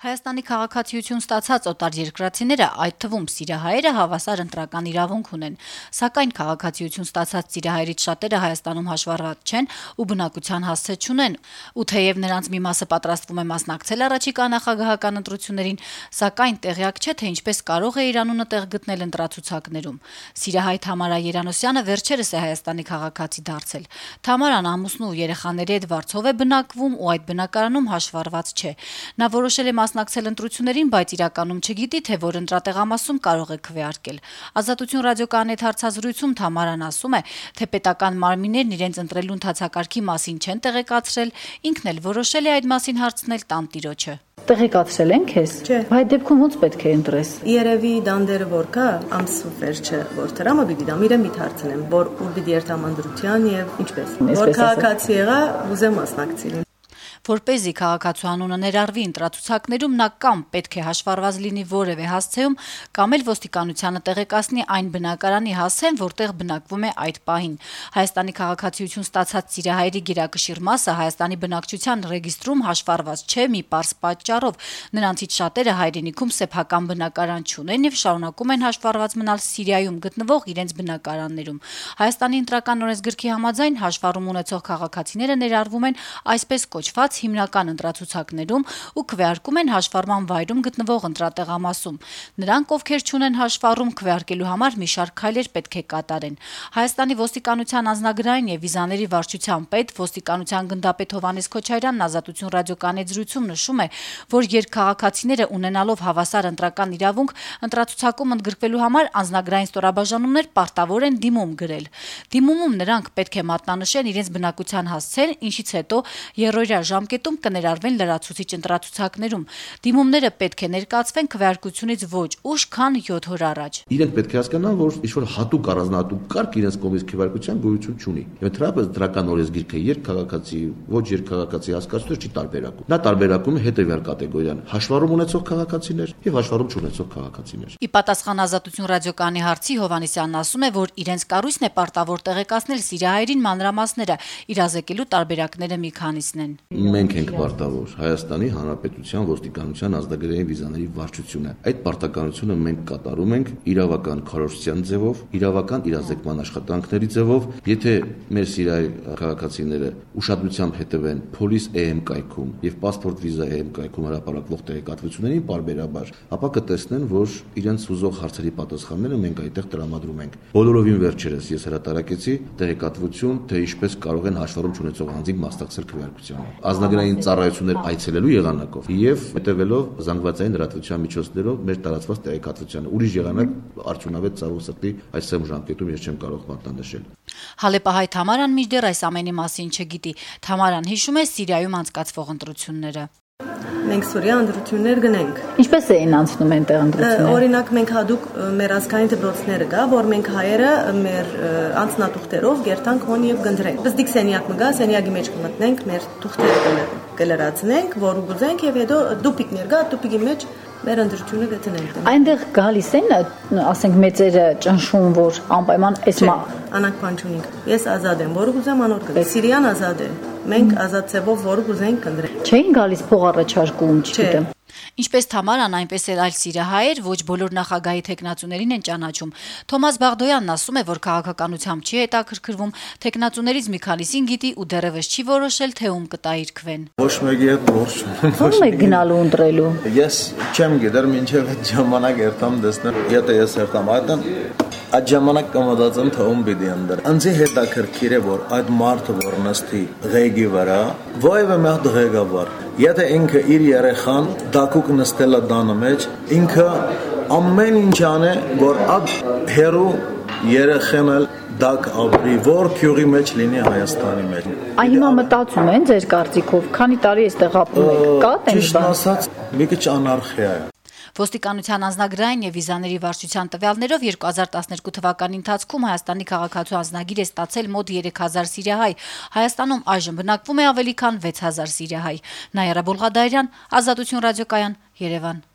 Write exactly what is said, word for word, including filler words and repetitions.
Հայաստանի քաղաքացիություն ստացած օտարերկրացիները, այդ թվում սիրիահայերը, հավասար ընտրական իրավունք ունեն, սակայն քաղաքացիություն ստացած սիրիահայերից շատերը Հայաստանում հաշվառված չեն ու բնակության հասցե չունեն, ու թեև նրանց մի մասը պատրաստվում է մասնակցել առաջիկա նախագահական ընտրություններին, սակայն տեղյակ չէ, թե ինչպես կարող է իր անունը տեղ գտնել ընտրացուցակներում։ Սիրիահայ Թամարա Երանոսյանը վերջերս է Հայաստանի քաղաքացի դարձել։ Թամարան ամուսնու ու երեխաների հետ Վարչով է բնակվում ու այդ բնակարանում հաշվառված չէ։ Նա որոշել է մասնակցել ընտրություններին, բայց իրականում չգիտի, թե որ ընտրատեղամասում կարող է քվեարկել։ Ազատություն ռադիոկայանի հետ հարցազրույցում Թամարան ասում է, թե պետական մարմիններն իրենց ընտրելու ընթացակարգի մասին չեն տեղեկացրել, ինքն էլ որոշել է այդ մասին հարցնել տանտիրոջը։ Տեղեկացրել են քեզ։ Այդ դեպքում ոնց պետք է ընտրես։ Երևի դանդերը որ կա, ամսու վերջը որ դրամը պիտի դամ իրեն մի հարցնեմ, որ ուր պիտի երթամ ընտրության եւ ինչպես։ Որ քաղաքացի եղա, ուզեմ մասնակցել։ Որպեսզի քաղաքացու անունը ներառվի ընտրացուցակներում, նա կամ պետք է հաշվառված լինի որևէ հասցեում, կամ էլ ոստիկանությանը տեղեկացնի այն բնակարանի հասցեն, որտեղ բնակվում է այդ պահին։ Հայաստանի քաղաքացիություն ստացած սիրիահայերի գերակշիռ մասը Հայաստանի բնակչության ռեգիստրում հաշվառված չէ մի պարզ պատճառով։ Նրանցից շատերը հայրենիքում սեփական բնակարան չունեն եւ շարունակում են հաշվառված մնալ Սիրիայում գտնվող իրենց բնակարաններում։ Հայաստանի ընտրական օրենսգրքի համաձայն հաշվառում ունեցող քաղաքացիները ներառվում են այսպես կոչված հիմնական ընտրացուցակներում ու քվեարկում են հաշվառման վայրում գտնվող ընտրատեղամասում։ Նրանք, ովքեր չունեն հաշվառում, քվեարկելու համար մի շարք քայլեր պետք է կատարեն։ Հայաստանի ոստիկանության անձնագրային եւ վիզաների վարչության պետ, ոստիկանության գնդապետ Հովհաննես Քոչարյանն Ազատություն ռադիոկայանի զրույցում նշում է, որ երկքաղաքացիները ունենալով հավասար ընտրական իրավունք, ընտրացուցակում ընդգրկվելու համար անձնագրային ստորաբաժանումներ պարտավոր են դիմում գրել։ Դիմումում նրանք պետք է մատնանշեն իրենց բնակության հասցեն, ինչից հետո երրորդյա ժամկետում կներառվեն լրացուցիչ ընտրացուցակներում։ Դիմումները պետք է ներկայացվեն քվեարկությունից ոչ ուշ, քան յոթ օր առաջ։ Իրենք պետք է հասկանան, որ ինչ-որ հատուկ առանձնահատուկ կարգ իրենց կողմից քվեարկության գոյություն չունի։ Եվ ընդհանրապես դրական օրենսգիրքը երկքաղաքացի, ոչ երկքաղաքացի հասկացություն չի տարբերակում։ Նա տարբերակում է հետևյալ կատեգորիան՝ հաշվառում ունեցող քաղաքացիներ եւ հաշվառում չունեցող քաղաքացիներ։ Ի պատասխան Ազատություն ռադիոկայանի հարցի Հովհաննեսյանն ասում է, որ իրենց կառույցն է պարտավոր տեղեկացնել սիրիահայերին մանրամասները, իրազեկելու տարբերակները մի քանիսն են։ Մենք ենք պարտավոր Հայաստանի Հանրապետության ոստիկանության ազգագրային վիզաների վարչությունը։ Այդ պարտականությունը մենք կատարում ենք իրավական քարոզչության ձևով, իրավական իրազեկման աշխատանքների ձևով։ Եթե մեր սիրիահայ քաղաքացիները ուշադրությամբ հետևեն Police E M կայքում եւ Passport Visa E M կայքում հրապարակվող տեղեկատվություններին պարբերաբար, ապա կտեսնեն, որ իրենց ուզող հարցերի պատասխանները մենք այդտեղ տրամադրում ենք։ Բոլորովին վերջերս ես հրատարակեցի տեղեկատվություն, թե ինչպես կարող են հաշվառում չունեցող անձինք մասնակցել քվեարկությանը։ Ազգագրային ծառայություններ այցելելու եղանակով եւ հետեւելով զանգվածային լրատվության միջոցներով մեր տարածված տեղեկատվությանը։ Ուրիշ եղանակ արդյունավետ ցավոք սրտի այս սեմ ժամկետում ես չեմ կարող մատնանշել։ Հալեպահայ Թամարան մինչդեռ այս ամենի մասին չգիտի։ Թամարան հիշում է Սիրիայում անցկացվող ընտրությունները։ Մենք Սուրիա ընտրություններ գնենք։ Ինչպես էին անցնում այնտեղ ընտրությունները։ Օրինակ մենք հadoop մեր ազգային դպրոցները կա, որ մենք հայերը մեր անձնատուղթերով գերտանք հոն եւ գնդրենք։ Բզդիկ սենյակ մգա, սենյակի մեջ կմտնենք, մեր թուղթերը կլրացնենք, որ ուզենք եւ հետո դուպիկներ կա, դուպիկի մեջ մեր ընտրությունը գտնենք։ Այնտեղ գալիս են, ասենք մեծերը ճնշում, որ անպայման այս անանք բան չունենք։ Ես ազատ եմ, որ ուզեմ անոր կգա։ Սիրիան ազատ է։ Մենք ազատ ցեվով որ ուզենք կնդրենք։ Չէին գալիս փող առաջարկում, չգիտեմ։ Ինչպես Թամարան, այնպես էլ այլ սիրիահայեր ոչ բոլոր նախագահի թեկնածուներին են ճանաչում։ Թոմաս Բաղդոյանն ասում է, որ քաղաքականությամբ չի հետաքրքրվում, թեկնածուներից մի քանիսին գիտի ու դեռևս չի որոշել, թե ում կտա իր քվեն։ Ոչ մեկի հետ որոշ չունեմ։ Ո՞ւմ եք գնալու ընտրելու։ Ես չեմ գիտեր մինչև այդ ժամանակ երթամ տեսնել։ Եթե ես երթամ այդն այդ ժամանակ կմտածեմ, թե ում պիտի ընտրեմ։ Անձի հետաքրքիր է, որ այդ մարդը որ նստի ղեկի վրա, ովևէ մի հատ ղեկավար, եթե ինքը իր երեխան դակուկ նստել է դանը մեջ, ինքը ամեն ինչ անը, որ այդ հերու երեխան էլ դակ ապրի, որ քյուղի մեջ լինի Հայաստանի մեջ։ Այ հիմա մտածում են ձեր կարծիքով, քանի տարի էստեղ ապրում եք, կա տենց բան։ Ճիշտ ասած, մի քիչ անարխիա է։ Ոստիկանության անձնագրային եւ վիզաների վարչության տվյալներով երկու հազար տասներկու թվականի ընթացքում Հայաստանի քաղաքացու անձնագիր է ստացել մոտ երեք հազար սիրիահայ։ Հայաստանում այժմ բնակվում է ավելի քան վեց հազար սիրիահայ։ Նաիրա Բոլղադարյան, Ազատություն ռադիոկայան, Երևան։